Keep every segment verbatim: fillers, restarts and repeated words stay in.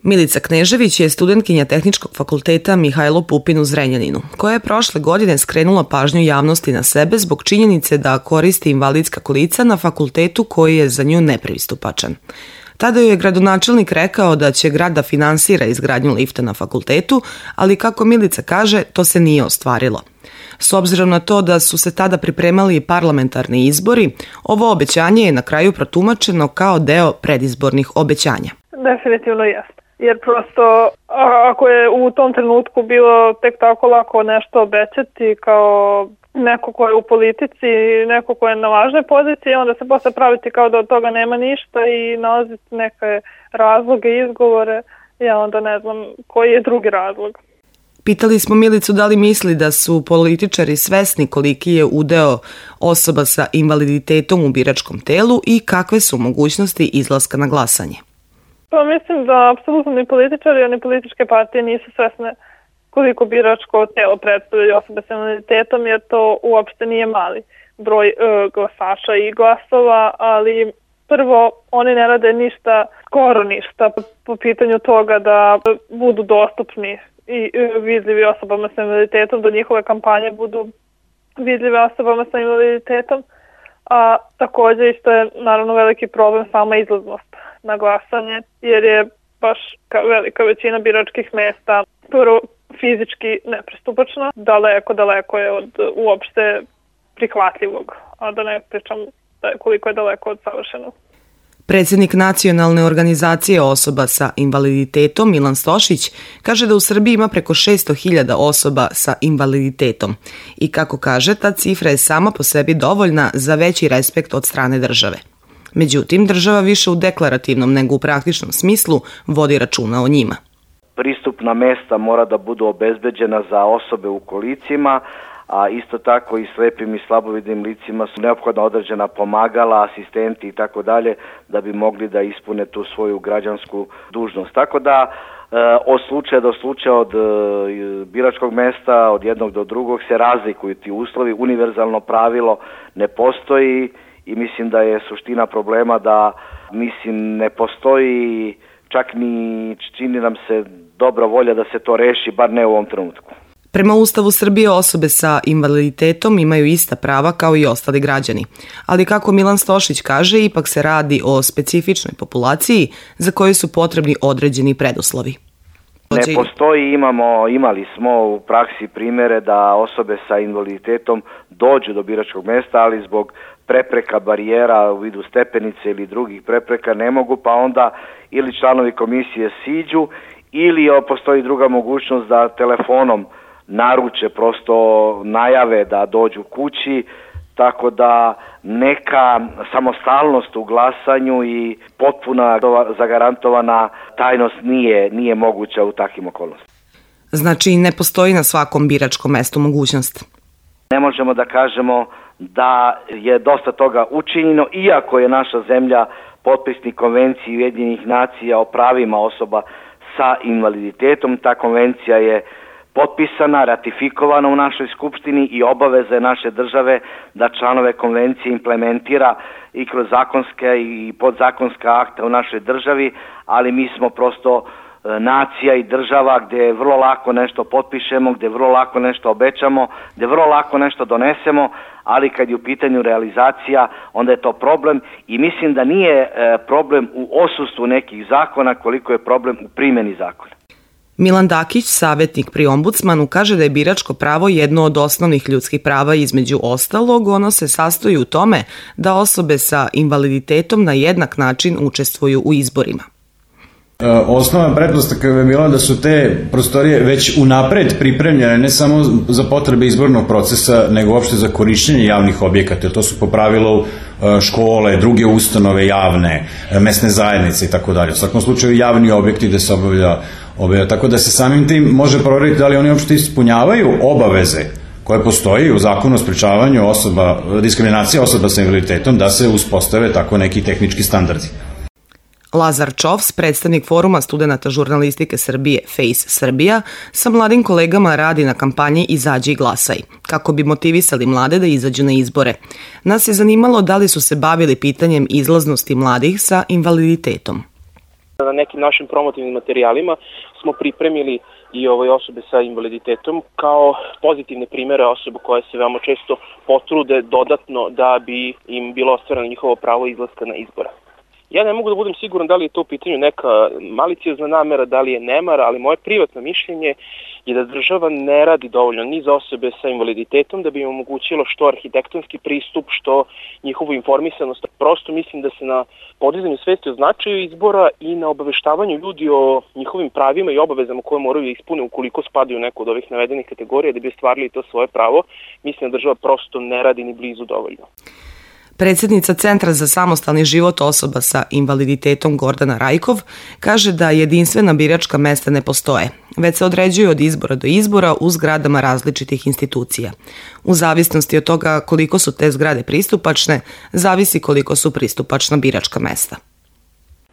Milica Knežević je studentkinja Tehničkog fakulteta Mihajlo Pupin u Zrenjaninu, koja je prošle godine skrenula pažnju javnosti na sebe zbog činjenice da koristi invalidska kolica na fakultetu koji je za nju nepristupačan. Tada joj je gradonačelnik rekao da će grad da finansira izgradnju lifta na fakultetu, ali kako Milica kaže, to se nije ostvarilo. S obzirom na to da su se tada pripremali i parlamentarni izbori, ovo obećanje je na kraju protumačeno kao deo predizbornih obećanja. Definitivno jeste. Jer prosto ako je u tom trenutku bilo tek tako lako nešto obećati kao neko ko je u politici, neko ko je na važnoj poziciji, onda se posle praviti kao da od toga nema ništa i nalaziti neke razloge, izgovore, ja onda ne znam koji je drugi razlog. Pitali smo Milicu da li misli da su političari svesni koliki je udeo osoba sa invaliditetom u biračkom telu i kakve su mogućnosti izlaska na glasanje. Pa mislim da apsolutno ni političari, ni političke partije nisu svesne koliko biračko telo predstavljaju osobe sa invaliditetom, jer to uopšte nije mali broj e, glasača i glasova, ali prvo oni ne rade ništa, skoro ništa po pitanju toga da budu dostupni i vidljivi osobama sa invaliditetom, da njihove kampanje budu vidljive osobama sa invaliditetom, a također isto je naravno veliki problem sama izlaznost na glasanje, jer je baš velika većina biračkih mesta prvo fizički nepristupačna, daleko, daleko je od uopšte prihvatljivog, a da ne pričam da je koliko je daleko od savršenog. Predsjednik Nacionalne organizacije osoba sa invaliditetom Milan Stošić kaže da u Srbiji ima preko šesto hiljada osoba sa invaliditetom i kako kaže, ta cifra je sama po sebi dovoljna za veći respekt od strane države. Međutim, država više u deklarativnom nego u praktičnom smislu vodi računa o njima. Pristupna mesta mora da budu obezbeđena za osobe u kolicima, a isto tako i slepim i slabovidnim licima su neophodna određena pomagala, asistenti i tako dalje da bi mogli da ispune tu svoju građansku dužnost. Tako da od slučaja do slučaja, od biračkog mesta, od jednog do drugog se razlikuju ti uslovi, univerzalno pravilo ne postoji i mislim da je suština problema da mislim ne postoji čak ni čini nam se dobra volja da se to reši, bar ne u ovom trenutku. Prema Ustavu Srbije osobe sa invaliditetom imaju ista prava kao i ostali građani, ali kako Milan Stošić kaže, ipak se radi o specifičnoj populaciji za koju su potrebni određeni preduslovi. Ne postoji, imamo, imali smo u praksi primere da osobe sa invaliditetom dođu do biračkog mesta, ali zbog prepreka, barijera u vidu stepenice ili drugih prepreka ne mogu, pa onda ili članovi komisije siđu ili postoji druga mogućnost da telefonom naruče, prosto najave da dođu kući, tako da neka samostalnost u glasanju i potpuna zagarantovana tajnost nije, nije moguća u takvim okolnostima. Znači ne postoji na svakom biračkom mestu mogućnost? Ne možemo da kažemo da je dosta toga učinjeno, iako je naša zemlja potpisnik Konvencije Ujedinjenih nacija o pravima osoba sa invaliditetom. Ta konvencija je potpisana, ratifikovana u našoj skupštini i obaveza je naše države da članove konvencije implementira i kroz zakonske i podzakonska akta u našoj državi, ali mi smo prosto nacija i država gdje vrlo lako nešto potpišemo, gdje vrlo lako nešto obećamo, gdje vrlo lako nešto donesemo, ali kad je u pitanju realizacija, onda je to problem i mislim da nije problem u odsustvu nekih zakona koliko je problem u primjeni zakona. Milan Dakić, savjetnik pri ombudsmanu, kaže da je biračko pravo jedno od osnovnih ljudskih prava, između ostalog ono se sastoji u tome da osobe sa invaliditetom na jednak način učestvuju u izborima. Osnovna pretpostavka je bila da su te prostorije već unapred pripremljene ne samo za potrebe izbornog procesa, nego uopšte za korišćenje javnih objekata. To su po pravilu škole, druge ustanove javne, mesne zajednice i tako dalje. U svakom slučaju javni objekti gde se obavlja, obavlja. Tako da se samim tim može proveriti da li oni uopšte ispunjavaju obaveze koje postoji u zakonu o sprečavanju osoba, diskriminacije osoba sa invaliditetom, da se uspostave tako neki tehnički standardi. Lazar Čovs, predstavnik Foruma studenata žurnalistike Srbije Face Srbija, sa mladim kolegama radi na kampanji Izađi i glasaj, kako bi motivisali mlade da izađu na izbore. Nas je zanimalo da li su se bavili pitanjem izlaznosti mladih sa invaliditetom. Na nekim našim promotivnim materijalima smo pripremili i ove osobe sa invaliditetom kao pozitivne primere osoba koje se veoma često potrude dodatno da bi im bilo ostvareno njihovo pravo izlaska na izbore. Ja ne mogu da budem siguran da li je to u pitanju neka maliciozna namera, da li je nemar, ali moje privatno mišljenje je da država ne radi dovoljno ni za osobe sa invaliditetom da bi im omogućilo što arhitektonski pristup, što njihovu informisanost. Prosto mislim da se na podizanju svesti o značaju izbora i na obaveštavanju ljudi o njihovim pravima i obavezama koje moraju da ispune ukoliko spadaju u neku od ovih navedenih kategorija da bi ostvarili to svoje pravo, mislim da država prosto ne radi ni blizu dovoljno. Predsjednica Centra za samostalni život osoba sa invaliditetom Gordana Rajkov kaže da jedinstvena biračka mesta ne postoje, već se određuju od izbora do izbora u zgradama različitih institucija. U zavisnosti od toga koliko su te zgrade pristupačne, zavisi koliko su pristupačna biračka mesta.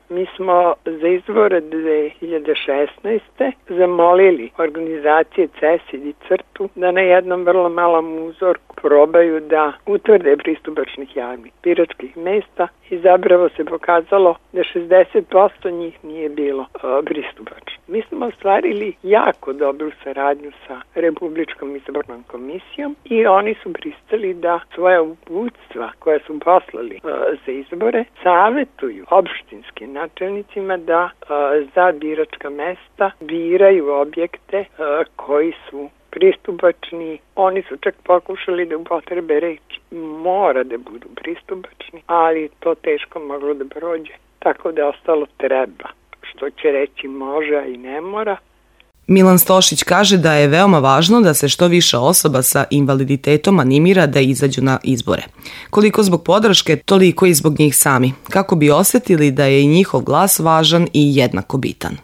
Mi smo za izbore dve hiljade šesnaeste. zamolili organizacije C E S I i CRTU da na jednom vrlo malom uzorku probaju da utvrde pristupačnih javnih biračkih mesta i zapravo se pokazalo da šezdeset posto njih nije bilo uh, pristupačno. Mi smo ostvarili jako dobru saradnju sa Republičkom izbornom komisijom i oni su pristali da svoja uputstva koja su poslali uh, za izbore savjetuju opštinskim načelnicima da uh, za biračka mesta biraju objekte uh, koji su pristupačni. Oni su čak pokušali da upotrebe reč mora da budu pristupačni, ali to teško moglo da prođe. Tako da ostalo treba, što će reći može i ne mora. Milan Stošić kaže da je veoma važno da se što više osoba sa invaliditetom animira da izađu na izbore. Koliko zbog podrške, toliko i zbog njih sami, kako bi osjetili da je i njihov glas važan i jednako bitan.